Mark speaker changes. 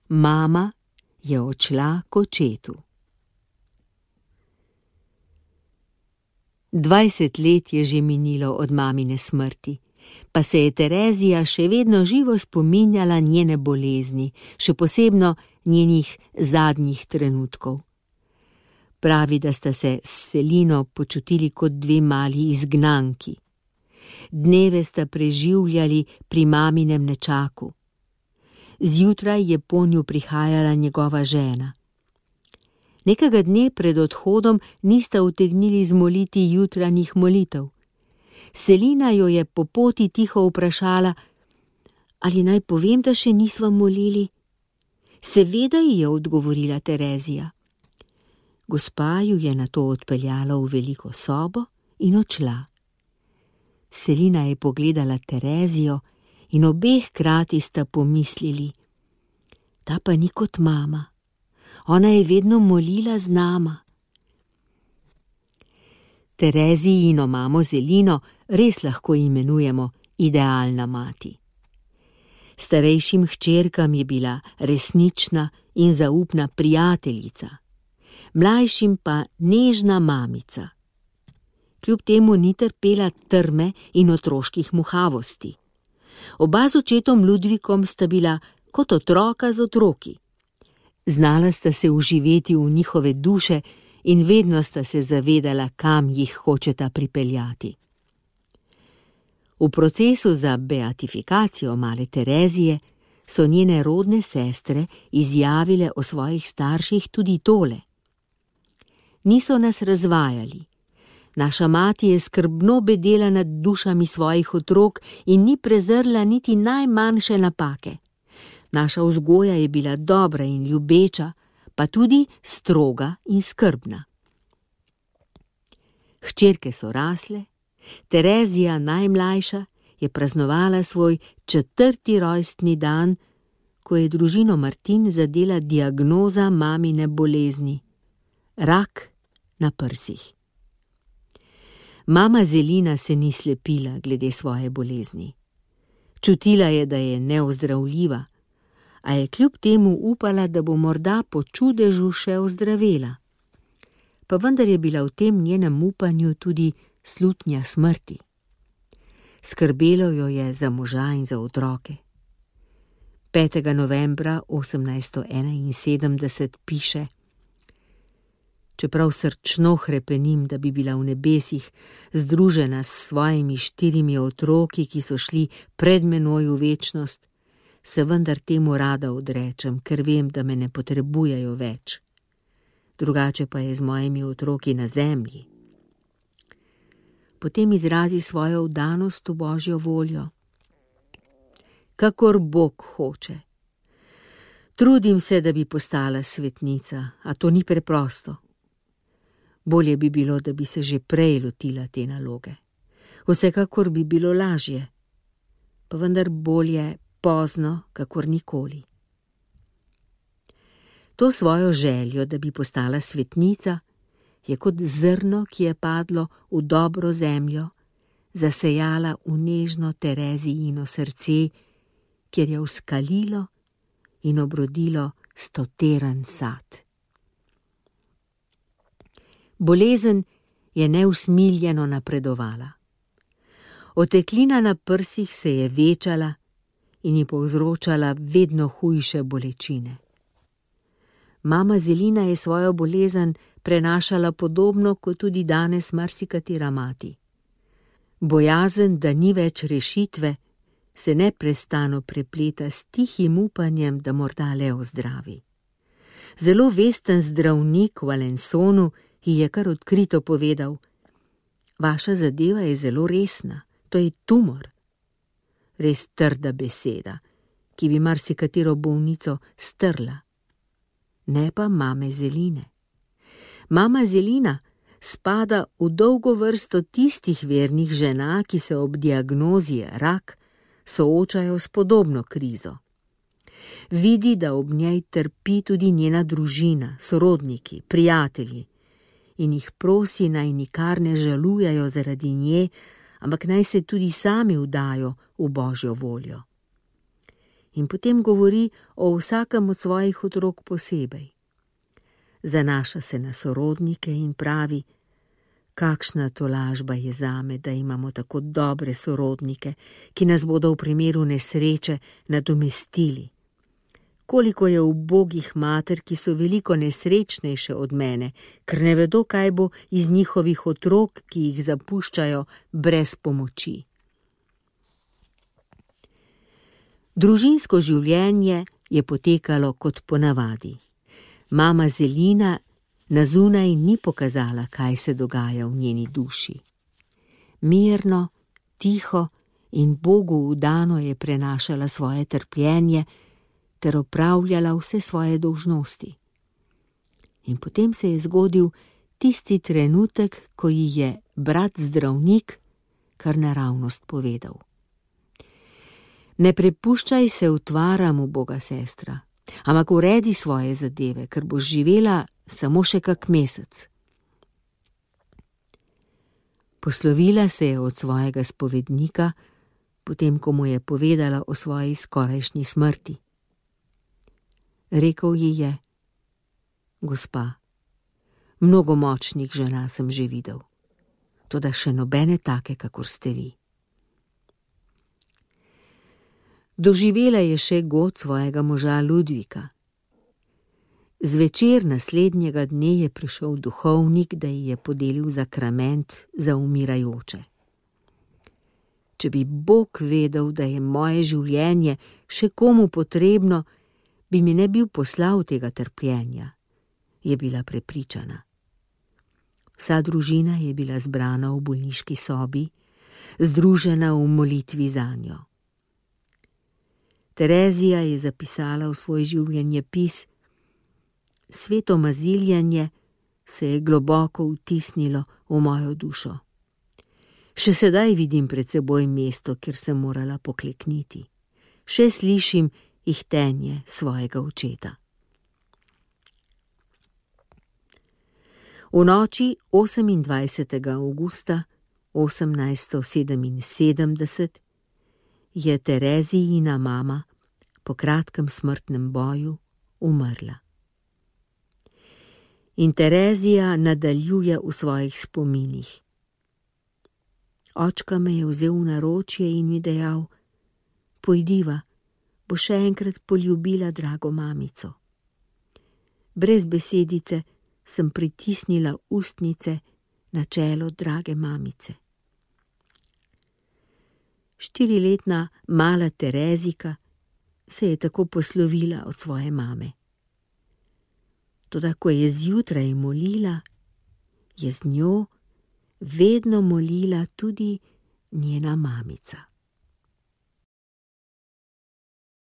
Speaker 1: Mama je odšla k očetu. 20 let je že minilo od mamine smrti, pa se je Terezija še vedno živo spominjala njene bolezni, še posebno njenih zadnjih trenutkov. Pravi, da sta se s Selino počutili kot dve mali izgnanki. Dneve sta preživljali pri maminem nečaku. Zjutraj je po nju prihajala njegova žena. Nekega dne pred odhodom nista utegnili zmoliti jutranjih molitev. Selina jo je po poti tiho vprašala, ali naj povem, da še nisva molili. Seveda, ji je odgovorila Terezija. Gospa ju je nato odpeljala v veliko sobo in odšla. Selina je pogledala Terezijo in obeh hkrati sta pomislili, ta pa ni kot mama, ona je vedno molila z nama. Terezijino mamo Zelino res lahko imenujemo idealna mati. Starejšim hčerkam je bila resnična in zaupna prijateljica, mlajšim pa nežna mamica. Kljub temu ni trpela trme in otroških muhavosti. Oba z očetom Ludvikom sta bila kot otroka z otroki. Znala sta se uživeti v njihove duše in vedno sta se zavedala, kam jih hočeta pripeljati. V procesu za beatifikacijo male Terezije so njene rodne sestre izjavile o svojih starših tudi tole. Niso nas razvajali. Naša mati je skrbno bedela nad dušami svojih otrok in ni prezrla niti najmanjše napake. Naša vzgoja je bila dobra in ljubeča, pa tudi stroga in skrbna. Hčerke so rasle, Terezija, najmlajša, je praznovala svoj 4. rojstni dan, ko je družino Martin zadela diagnoza mamine bolezni – rak na prsih. Mama Zelina se ni slepila glede svoje bolezni. Čutila je, da je neozdravljiva, a je kljub temu upala, da bo morda po čudežu še ozdravela. Pa vendar je bila v tem njenem upanju tudi slutnja smrti. Skrbelo jo je za moža in za otroke. 5. novembra 1871 piše: Čeprav srčno hrepenim, da bi bila v nebesih združena s svojimi 4 otroki, ki so šli pred menoj v večnost, se vendar temu rada odrečem, ker vem, da me ne potrebujejo več. Drugače pa je z mojimi otroki na zemlji. Potem izrazi svojo vdanost v Božjo voljo. Kakor Bog hoče. Trudim se, da bi postala svetnica, a to ni preprosto. Bolje bi bilo, da bi se že prej lotila te naloge. Vsekakor bi bilo lažje, pa vendar bolje pozno, kakor nikoli. To svojo željo, da bi postala svetnica, je kot zrno, ki je padlo v dobro zemljo, zasejala v nežno Terezijino srce, kjer je vzkalilo in obrodilo 100-teren sad. Bolezen je neusmiljeno napredovala. Oteklina na prsih se je večala in ji povzročala vedno hujše bolečine. Mama Zelina je svojo bolezen prenašala podobno kot tudi danes marsikatera mati. Bojazen, da ni več rešitve, se neprestano prepleta s tihim upanjem, da morda le ozdravi. Zelo vesten zdravnik v Alensonu ji je kar odkrito povedal: Vaša zadeva je zelo resna, to je tumor. Res trda beseda, ki bi marsikatero bolnico strla. Ne pa mame Zeline. Mama Zelina spada v dolgo vrsto tistih vernih žena, ki se ob diagnozi rak soočajo s podobno krizo. Vidi, da ob njej trpi tudi njena družina, sorodniki, prijatelji in jih prosi, naj nikar ne žalujajo zaradi nje, ampak naj se tudi sami vdajo v Božjo voljo. in potem govori o vsakem od svojih otrok posebej. Zanaša se na sorodnike in pravi: kakšna tolažba je zame, da imamo tako dobre sorodnike, ki nas bodo v primeru nesreče nadomestili. Koliko je ubogih mater, ki so veliko nesrečnejše od mene, ker ne vedo, kaj bo iz njihovih otrok, ki jih zapuščajo brez pomoči. Družinsko življenje je potekalo kot ponavadi. Mama Zelina na zunaj ni pokazala, kaj se dogaja v njeni duši. Mirno, tiho in Bogu vdano je prenašala svoje trpljenje ter opravljala vse svoje dolžnosti. In potem se je zgodil tisti trenutek, ko ji je brat zdravnik kar naravnost povedal: ne prepuščaj se utvaram, uboga sestra, ampak uredi svoje zadeve, ker boš živela samo še kak mesec. Poslovila se je od svojega spovednika, potem ko mu je povedala o svoji skorajšnji smrti. Rekel ji je: gospa, mnogo močnih žena sem že videl, toda še nobene take, kakor ste vi. Doživela je še god svojega moža Ludvika. Zvečer naslednjega dne je prišel duhovnik, da ji je podelil zakrament za umirajoče. Če bi Bog vedel, da je moje življenje še komu potrebno, bi mi ne bil poslal tega trpljenja, je bila prepričana. Vsa družina je bila zbrana v bolniški sobi, združena v molitvi zanjo. Terezija je zapisala v svoj življenjepis: sveto maziljanje se je globoko vtisnilo v mojo dušo. Še sedaj vidim pred seboj mesto, kjer sem morala poklekniti. Še slišim ihtenje svojega očeta. V noči 28. avgusta 1877 je Terezijina mama po kratkem smrtnem boju umrla. In Terezija nadaljuje v svojih spominih: očka me je vzel v naročje in mi dejal: pojdiva, bo še enkrat poljubila drago mamico. Brez besedice sem pritisnila ustnice na čelo drage mamice. 4-letna mala Terezika se je tako poslovila od svoje mame. Toda ko je zjutraj molila, je z njo vedno molila tudi njena mamica.